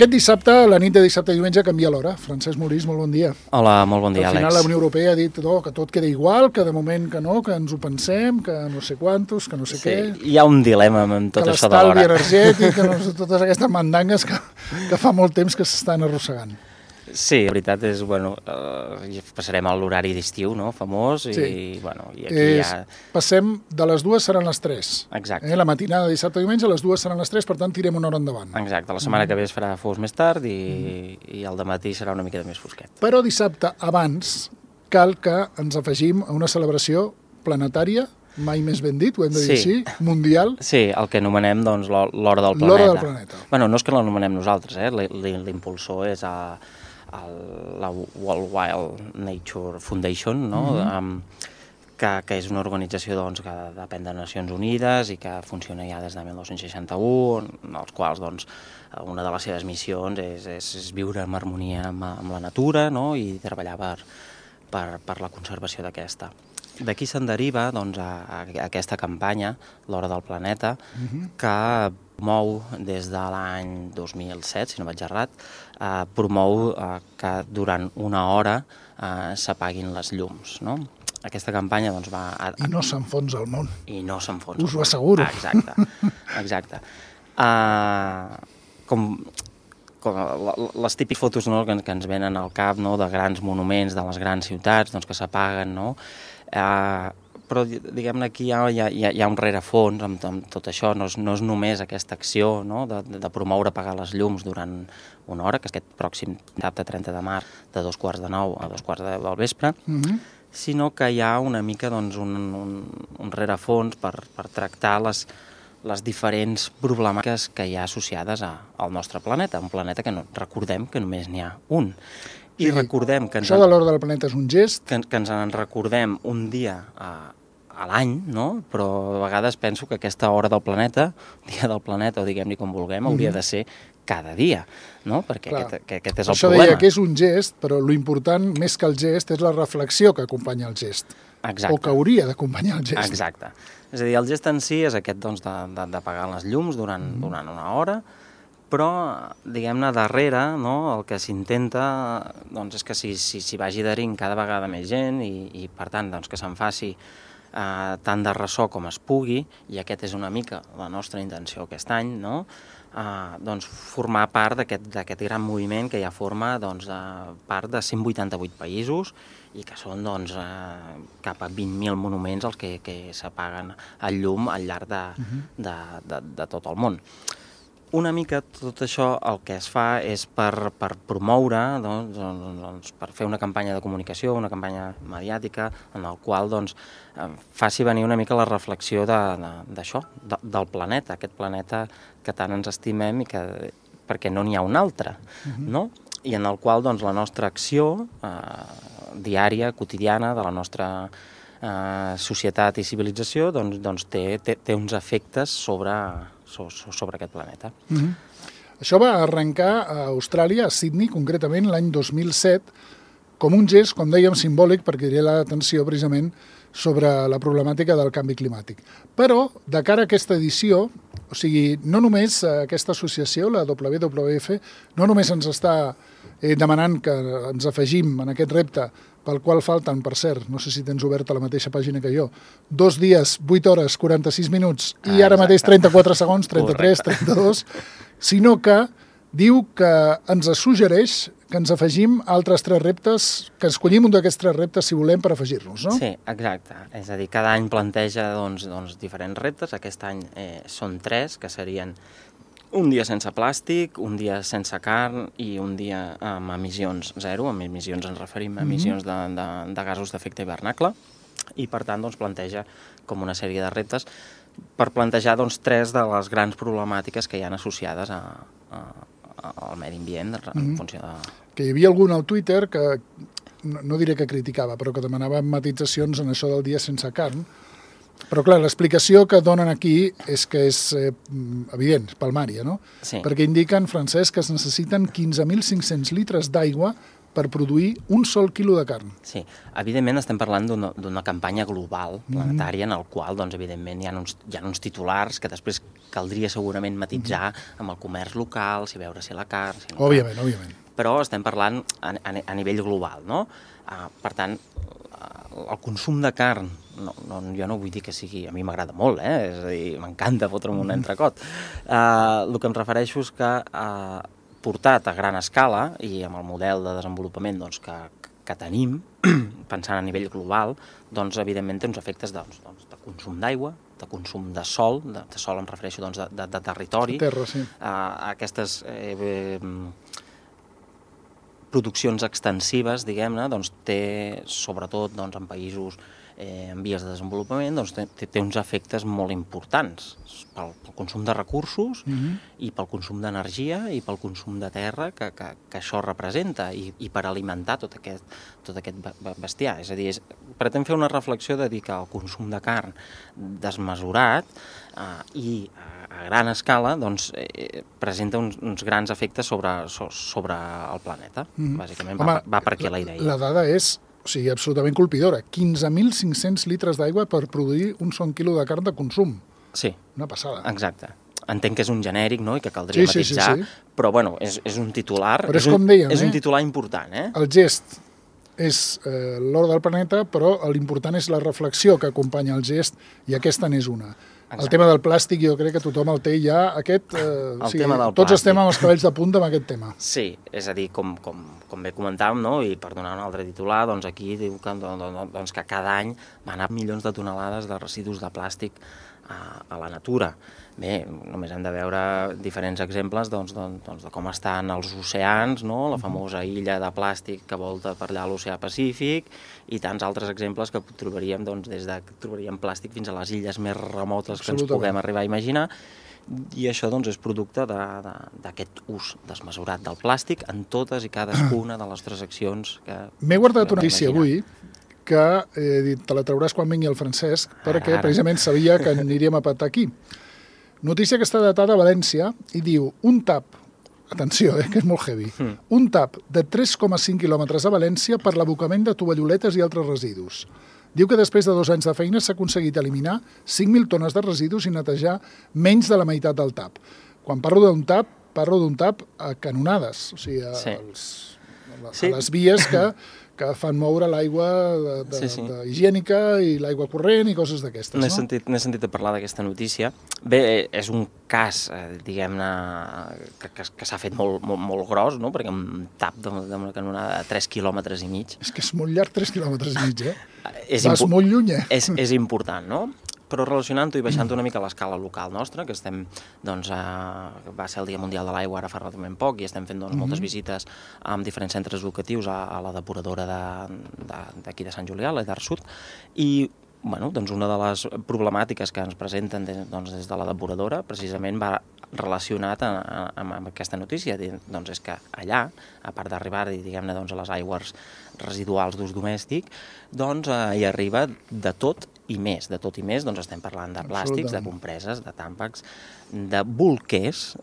aquest dissabte, la nit de dissabte i diumenge, canvia l'hora. Francesc Morís, molt bon dia. Hola, molt bon dia, Àlex. Al final la Unió Europea ha dit que tot queda igual, que de moment que no, que ens ho pensem, que no sé quantos, que no sé què... Hi ha un dilema amb tot això de l'hora. Que l'estalvi energètic, que no sé, totes aquestes mandangues que fa molt temps que s'estan arrossegant. Sí, la veritat és, passarem a l'horari d'estiu, no?, famós, i aquí ja... Passem de les 2 seran les 3. Exacte. La matinada de dissabte i diumenge, les 2 seran les 3, per tant, tirem una hora endavant. Exacte, la setmana que ve es farà fos més tard i el dematí serà una mica més fosquet. Però dissabte, abans, cal que ens afegim a una celebració planetària, mai més ben dit, ho hem de dir així, mundial. Sí, el que anomenem, doncs, l'hora del planeta. L'hora del planeta. Bueno, no és que l'anomenem nosaltres, l'impulsor és la World Wild Nature Foundation, no? Que és una organització doncs, que depèn de Nacions Unides i que funciona ja des de 1961, en els quals doncs, una de les seves missions és viure en harmonia amb la natura, no? I treballar per la conservació d'aquesta. D'aquí se'n deriva doncs, a aquesta campanya, l'Hora del Planeta, que promou des de l'any 2007, si no vaig errat, promou que durant una hora s'apaguin les llums, no? Aquesta campanya doncs, va... I no s'enfonsa el món. I no s'enfonsa. Us ho asseguro. Exacte. Com les típiques fotos, no?, que ens venen al cap, no?, de grans monuments de les grans ciutats doncs, que s'apaguen, no? Però diguem-ne aquí hi ha un rerefons amb tot això, no és només aquesta acció, no?, de promoure apagar les llums durant una hora, que és aquest pròxim dissabte 30 de març de 8:45 a 10:45 del vespre, sinó que hi ha una mica doncs, un rerefons per tractar les diferents problemàtiques que hi ha associades al nostre planeta, un planeta que recordem que només n'hi ha un. I recordem que això de l'hora del planeta és un gest. Que ens en recordem un dia a l'any, no? Però a vegades penso que aquesta hora del planeta, dia del planeta, o diguem-ne com vulguem, hauria de ser cada dia, no? Perquè aquest és el això problema. Deia que és un gest, però l'important, més que el gest, és la reflexió que acompanya el gest. Exacte. O que hauria d'acompanyar el gest. Exacte. És a dir, el gest en si és aquest doncs, d'apagar les llums durant una hora, però, diguem-ne, darrere, no, el que s'intenta doncs, és que s'hi vagi adherint cada vegada més gent i per tant, doncs, que se'n faci tant de ressò com es pugui, i aquest és una mica la nostra intenció aquest any, no? Doncs, formar part d'aquest gran moviment que ja forma doncs, part de 188 països i que són doncs, cap a 20.000 monuments els que s'apaguen el llum al llarg de tot el món. Una mica tot això el que es fa és per promoure, doncs, per fer una campanya de comunicació, una campanya mediàtica, en el qual doncs, faci venir una mica la reflexió d'això, del planeta, aquest planeta que tant ens estimem i perquè no n'hi ha un altre, no? I en el qual doncs, la nostra acció diària, quotidiana, de la nostra societat i civilització doncs, té uns efectes sobre aquest planeta. Això va arrencar a Austràlia, a Sydney, concretament l'any 2007, com un gest, com dèiem, simbòlic, perquè diria l'atenció precisament sobre la problemàtica del canvi climàtic. Però, de cara a aquesta edició, o sigui, no només aquesta associació, la WWF, no només ens està demanant que ens afegim en aquest repte, pel qual falten, per cert, no sé si tens oberta la mateixa pàgina que jo, 2 dies, 8 hores, 46 minuts i ara mateix 34 segons, 33, 32, sinó que diu que ens suggereix que ens afegim altres 3 reptes, que escollim un d'aquests 3 reptes, si volem, per afegir-nos, no? Sí, exacte. És a dir, cada any planteja doncs, diferents reptes. Aquest any són 3, que serien un dia sense plàstic, un dia sense carn i un dia amb emissions zero. Amb emissions ens referim a emissions de gasos d'efecte hivernacle i, per tant, doncs, planteja com una sèrie de reptes per plantejar doncs, 3 de les grans problemàtiques que hi ha associades al medi ambient en funció de... Que hi havia algun al Twitter que, no diré que criticava, però que demanava matitzacions en això del dia sense carn. Però, clar, l'explicació que donen aquí és que és evident, palmària, no? Sí. Perquè indiquen, Francesc, que es necessiten 15.500 litres d'aigua per produir un sol quilo de carn. Sí, evidentment estem parlant d'una campanya global, planetària, en el qual, doncs, evidentment, hi ha uns titulars que després caldria segurament matisar amb el comerç local, si veure si la carn... Si no Òbviament. Però estem parlant a nivell global, no? Per tant, el consum de carn, jo no vull dir que sigui... A mi m'agrada molt, és a dir, m'encanta fotre'm un entrecot. El que em refereixo és que portat a gran escala i amb el model de desenvolupament doncs, que tenim, pensant a nivell global, doncs, evidentment té uns efectes de consum d'aigua, de consum de sol em refereixo doncs, de territori. Terra, sí. Aquestes produccions extensives, diguem-ne, doncs, té, sobretot doncs, en països en vies de desenvolupament, doncs, té uns efectes molt importants pel consum de recursos i pel consum d'energia i pel consum de terra que això representa i per alimentar tot aquest bestiar. És a dir, pretén fer una reflexió de dir que el consum de carn desmesurat i a gran escala doncs, presenta uns grans efectes sobre el planeta. Bàsicament va per aquí la idea. La dada és absolutament colpidora. 15.500 litres d'aigua per produir un sol quilo de carn de consum. Sí. Una passada. Exacte. Entenc que és un genèric, no?, i que caldria matisar, però, bueno, és un titular... Però és com dèiem, és un titular important, El gest és l'or del planeta, però l'important és la reflexió que acompanya el gest, i aquesta n'és una. Exacte. El tema del plàstic, jo crec que tothom el té ja, tots estem amb els cabells de punta amb aquest tema. Sí, és a dir, com bé comentàvem, no? I per donar un altre titular, doncs aquí diu que cada any van anar milions de tonelades de residus de plàstic a la natura. Bé, només hem de veure diferents exemples de com estan els oceans, no? La famosa illa de plàstic que volta per allà l'oceà Pacífic i tants altres exemples que trobaríem des de trobaríem plàstic fins a les illes més remotes que ens puguem arribar a imaginar. I això és producte d'aquest ús desmesurat del plàstic en totes i cadascuna de les transaccions que... M'he guardat una notícia avui que te la trauràs quan vingui el Francesc, perquè precisament sabia que aniríem a patar aquí. Notícia que està datada a València i diu un tap, atenció, que és molt heavy, un tap de 3,5 quilòmetres a València per l'abocament de tovalloletes i altres residus. Diu que després de 2 anys de feina s'ha aconseguit eliminar 5.000 tones de residus i netejar menys de la meitat del tap. Quan parlo d'un tap a canonades, o sigui, a les vies que fan moure l'aigua higiènica i l'aigua corrent i coses d'aquestes. N'he sentit a parlar d'aquesta notícia. Bé, és un cas, diguem-ne, que s'ha fet molt gros, no? Perquè un tap d'una canonada de 3,5 quilòmetres. És que és molt llarg, 3,5 quilòmetres, Vas molt lluny, És important, no? Però relacionant-ho i baixant una mica a l'escala local nostra, que estem, va ser el Dia Mundial de l'Aigua ara fa relativament poc i estem fent moltes visites amb diferents centres educatius a la depuradora d'aquí de Sant Julià, l'Edar Sud, i una de les problemàtiques que ens presenten des de la depuradora precisament va relacionat amb aquesta notícia. És que allà, a part d'arribar a les aigües residuals d'ús domèstic, hi arriba de tot i més. De tot i més, estem parlant de plàstics, de compreses, de tàmpacs, de bolquers,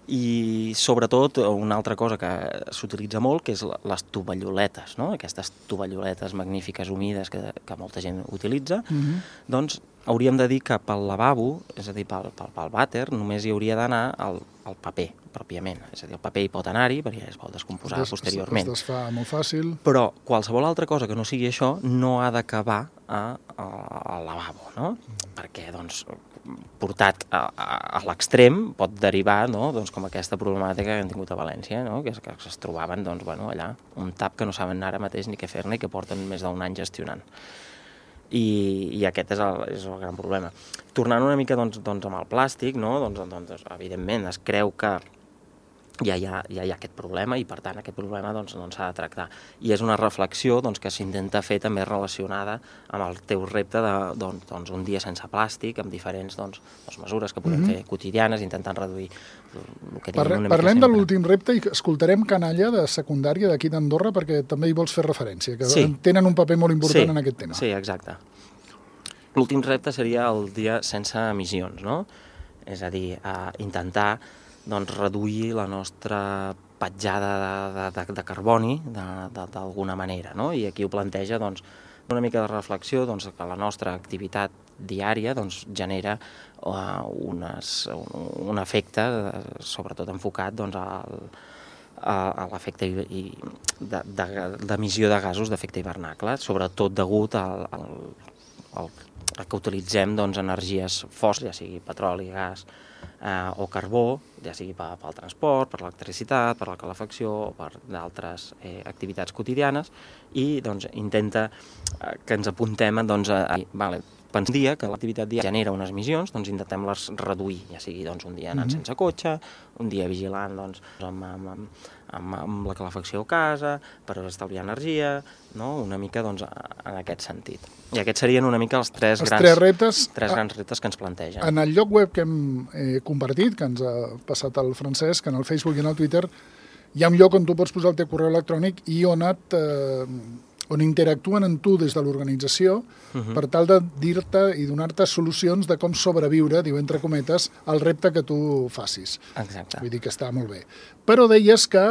i sobretot una altra cosa que s'utilitza molt, que és les tovalloletes, no? Aquestes tovalloletes magnífiques humides que molta gent utilitza, doncs hauríem de dir que pel lavabo, és a dir, pel vàter, només hi hauria d'anar el paper, pròpiament. És a dir, el paper hi pot anar-hi, perquè es pot descomposar posteriorment. Es desfà molt fàcil. Però qualsevol altra cosa que no sigui això no ha d'acabar al lavabo, no? Perquè, portat a l'extrem pot derivar, com aquesta problemàtica que hem tingut a València, que es trobaven allà un tap que no saben ara mateix ni què fer-ne i que porten més d'un any gestionant. I aquest és el gran problema. Tornant una mica amb el plàstic, evidentment es creu que ja hi ha aquest problema i per tant aquest problema s'ha de tractar. I és una reflexió que s'intenta fer també relacionada amb el teu repte d'un dia sense plàstic, amb diferents mesures que podem fer quotidianes, intentant reduir el que diem una mica. Parlem de l'últim repte i escoltarem Canalla de secundària d'aquí d'Andorra perquè també hi vols fer referència, que tenen un paper molt important en aquest tema. Sí, exacte. L'últim repte seria el dia sense emissions, no? És a dir, intentar reduir la nostra petjada de carboni d'alguna manera, no? I aquí ho planteja doncs, una mica de reflexió doncs, que la nostra activitat diària doncs, genera un efecte, sobretot enfocat doncs, a l'efecte d'emissió de gasos d'efecte hivernacle, sobretot degut al que utilitzem doncs, energies fòssils, ja sigui petroli, gas o carbó, ja sigui pel transport, per l'electricitat, per la calefacció o per d'altres activitats quotidianes, i doncs, intenta que ens apuntem doncs, pensar un dia que l'activitat diària genera unes emissions, doncs intentem-les reduir, ja sigui doncs, un dia anant sense cotxe, un dia vigilant doncs, amb la calefacció a casa, per estalviar energia, no? Una mica doncs, en aquest sentit. I aquests serien una mica els tres grans reptes que ens plantegen. En el lloc web que hem compartit, que ens ha passat el Francesc, en el Facebook i en el Twitter, hi ha un lloc on tu pots posar el teu correu electrònic i on interactuen amb tu des de l'organització per tal de dir-te i donar-te solucions de com sobreviure, diu entre cometes, al repte que tu facis. Exacte. Vull dir que està molt bé. Però deies que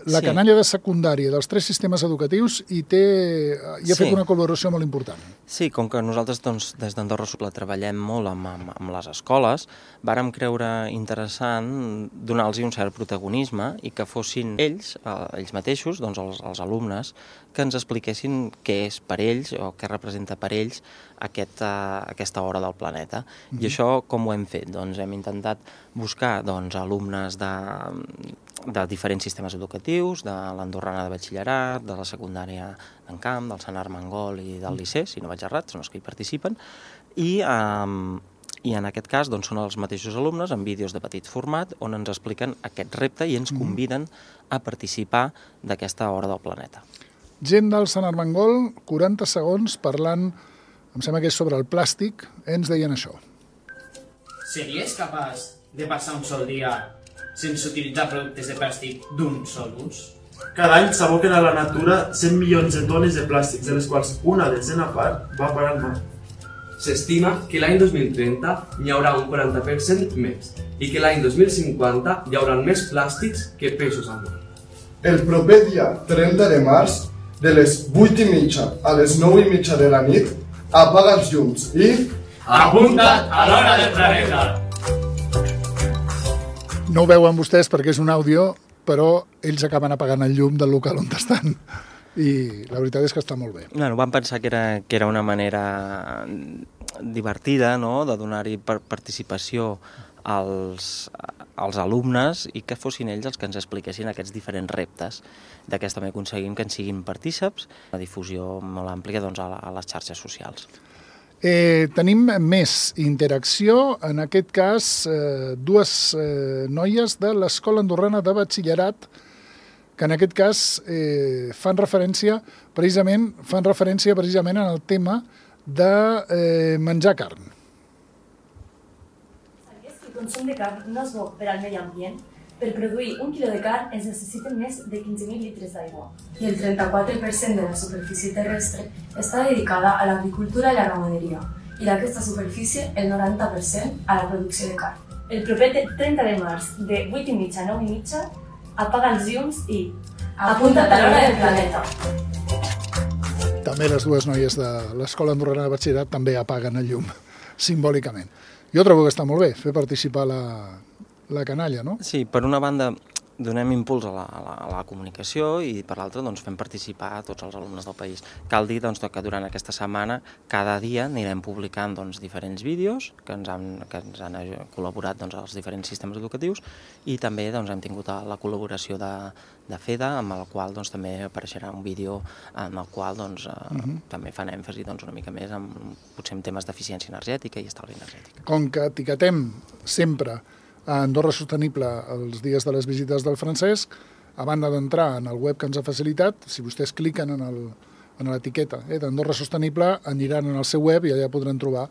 la canalla de secundària dels 3 sistemes educatius hi ha fet una col·laboració molt important. Sí, com que nosaltres doncs, des d'Andorra Supla treballem molt amb les escoles, vàrem creure interessant donar-los un cert protagonisme i que fossin ells mateixos, doncs els alumnes, que ens expliquessin què és per ells o què representa per ells aquesta hora del planeta. I això com ho hem fet? Doncs hem intentat buscar alumnes de diferents sistemes educatius, de l'Andorrana de Batxillerat, de la secundària d'en Camp, del Sant Armengol i del Liceu, si no vaig errat, són els que hi participen, i en aquest cas doncs, són els mateixos alumnes en vídeos de petit format on ens expliquen aquest repte i ens conviden a participar d'aquesta hora del planeta. Gent del Sant Armengol, 40 segons parlant, em sembla que és sobre el plàstic, ens deien això. Series capaç de passar un sol dia sense utilitzar productes de plàstic d'un sol ús? Cada any s'aboquen a la natura 100 milions de tones de plàstics, de les quals una desena part va parar al mar. S'estima que l'any 2030 n'hi haurà un 40% més i que l'any 2050 hi haurà més plàstics que peixos al mar. El proper dia 30 de març, de les 8:30 a les 9:30 de la nit, apaga els llums i... Apunta't a l'hora del planeta! No ho veuen vostès perquè és un àudio, però ells acaben apagant el llum del local on estan. I la veritat és que està molt bé. Bueno, vam pensar que era una manera divertida, no?, de donar-hi participació als alumnes i que fossin ells els que ens expliquessin aquests diferents reptes. D'aquesta manera aconseguim que en siguin partíceps, una difusió molt àmplia doncs, a les xarxes socials. Tenim més interacció, en aquest cas dues noies de l'Escola Andorrana de Batxillerat que en aquest cas fan referència precisament en el tema de menjar carn. Sabies que el consum de carn no és bo per al medi ambient? Per produir 1 quilo de carn es necessiten més de 15.000 litres d'aigua. I el 34% de la superfície terrestre està dedicada a l'agricultura i la ramaderia, i d'aquesta superfície el 90% a la producció de carn. El proper 30 de març, de 8:30 a 9:30, apaga els llums i apunta't a l'hora del planeta. També les dues noies de l'Escola Andorrana de Batxillerat també apaguen el llum, simbòlicament. Jo trobo que està molt bé fer participar la canalla, no? Sí, per una banda donem impuls a la comunicació i per l'altra doncs, fem participar a tots els alumnes del país. Cal dir doncs, que durant aquesta setmana cada dia anirem publicant doncs, diferents vídeos que ens han col·laborat doncs, els diferents sistemes educatius i també doncs, hem tingut la col·laboració de FEDA, amb el qual doncs, també apareixerà un vídeo en el qual doncs, també fan èmfasi doncs, una mica més potser en temes d'eficiència energètica i estalvi energètic. Com que etiquetem sempre a Andorra Sostenible els dies de les visites del Francesc, a banda d'entrar en el web que ens ha facilitat, si vostès cliquen en l'etiqueta d'Andorra Sostenible, aniran en el seu web i allà podran trobar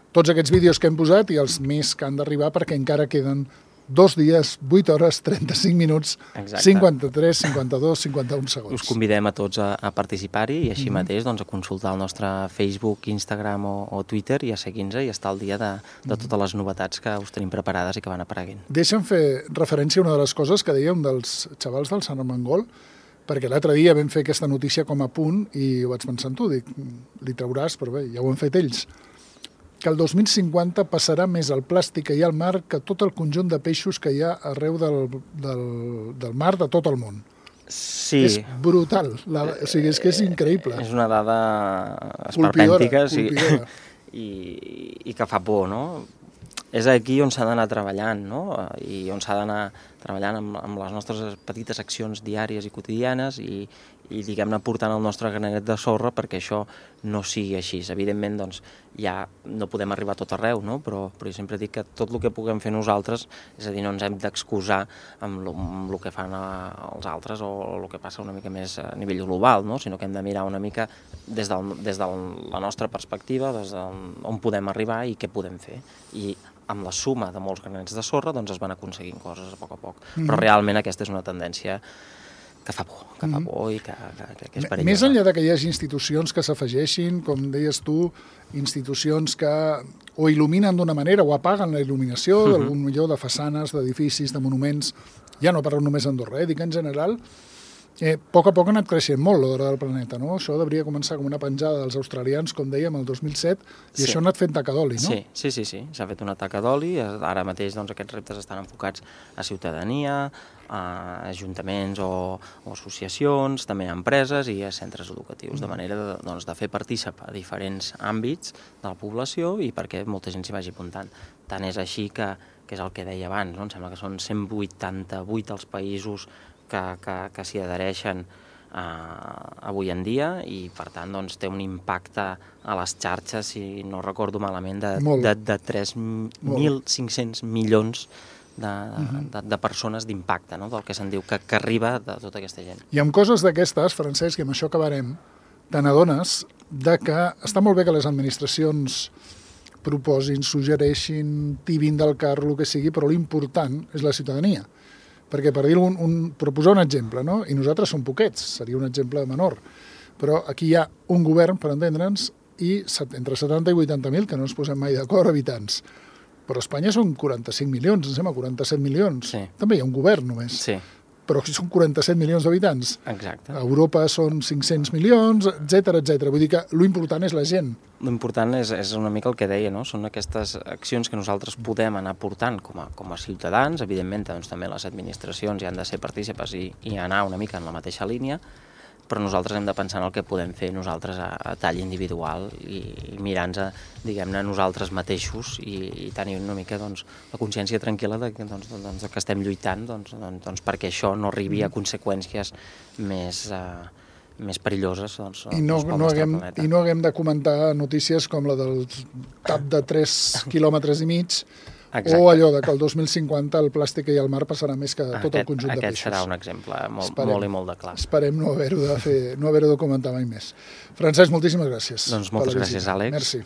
tots aquests vídeos que hem posat i els més que han d'arribar perquè encara queden 2 dies, 8 hores, 35 minuts, Exacte. 53, 52, 51 segons. Us convidem a tots a participar-hi i així mateix doncs, a consultar el nostre Facebook, Instagram o Twitter i a seguir-nos i estar al dia de totes les novetats que us tenim preparades i que van apareguent. Deixa'm fer referència a una de les coses que dèiem dels xavals del Sant Armengol, perquè l'altre dia vam fer aquesta notícia com a punt i ho vaig pensar en tu, dic, li trauràs, però bé, ja ho han fet ells, que el 2050 passarà més al plàstic que hi ha al mar que tot el conjunt de peixos que hi ha arreu del mar de tot el món. Sí. És brutal, o sigui, és que és increïble. És una dada esperpèntica colpidora. I que fa por, no? És aquí on s'ha d'anar treballant, no? I on s'ha d'anar treballant amb les nostres petites accions diàries i quotidianes i diguem-ne, portant el nostre granet de sorra perquè això no sigui així. Evidentment, doncs, ja no podem arribar a tot arreu, no? Però jo sempre dic que tot el que puguem fer nosaltres, és a dir, no ens hem d'excusar amb el que fan els altres o el que passa una mica més a nivell global, no? Sinó que hem de mirar una mica des de la nostra perspectiva, des d'on podem arribar i què podem fer. I amb la suma de molts granets de sorra doncs es van aconseguint coses a poc. Però realment aquesta és una tendència que fa por i que és perillosa. Més enllà de que hi hagi institucions que s'afegeixin, com deies tu, institucions que o il·luminen d'una manera o apaguen la il·luminació d'algun millor de façanes, d'edificis, de monuments, ja no parlo només d'Andorra, dic en general, a poc ha anat creixent molt l'hora del planeta, no? Això hauria començar com una penjada dels australians, com dèiem, el 2007, i això ha anat fent taca d'oli, no? Sí, s'ha fet una taca d'oli, ara mateix doncs, aquests reptes estan enfocats a ciutadania, a ajuntaments o associacions, també a empreses i a centres educatius, de manera de fer participar diferents àmbits de la població i perquè molta gent s'hi vagi apuntant. Tant és així que és el que deia abans, no? Em sembla que són 188 els països que s'hi adhereixen avui en dia i, per tant, doncs, té un impacte a les xarxes, si no recordo malament, de 3.500 milions de persones d'impacte, no? Del que se'n diu que arriba de tota aquesta gent. I amb coses d'aquestes, Francesc, i amb això acabarem, te n'adones que està molt bé que les administracions proposin, suggereixin, tibin del carro, el que sigui, però l'important és la ciutadania. Perquè, per dir-ho, proposar un exemple, no? I nosaltres som poquets, seria un exemple menor, però aquí hi ha un govern, per entendre'ns, i entre 70 i 80.000, que no ens posem mai d'acord, habitants. Però a Espanya són 45 milions, em sembla, 47 milions. Sí. També hi ha un govern només. Sí. Però aquí són 47 milions d'habitants. Exacte. A Europa són 500 milions, etc. Vull dir que l'important és la gent. L'important és una mica el que deia, no? Són aquestes accions que nosaltres podem anar portant com a ciutadans. Evidentment, doncs, també les administracions hi han de ser partícipes i anar una mica en la mateixa línia, però nosaltres hem de pensar en el que podem fer nosaltres a tall individual i mirar-nos, diguem-ne, nosaltres mateixos i tenir una mica doncs, la consciència tranquil·la de que estem lluitant doncs, perquè això no arribi a conseqüències més perilloses I no haguem de comentar notícies com la del tap de 3 quilòmetres i mig. Exacte. O allò que el 2050 el plàstic que hi ha al mar passarà més que tot el conjunt de peixos. Aquest serà un exemple molt i molt de clar. Esperem no haver-ho de comentar mai més. Francesc, moltíssimes gràcies. Doncs moltes gràcies, Àlex. Merci.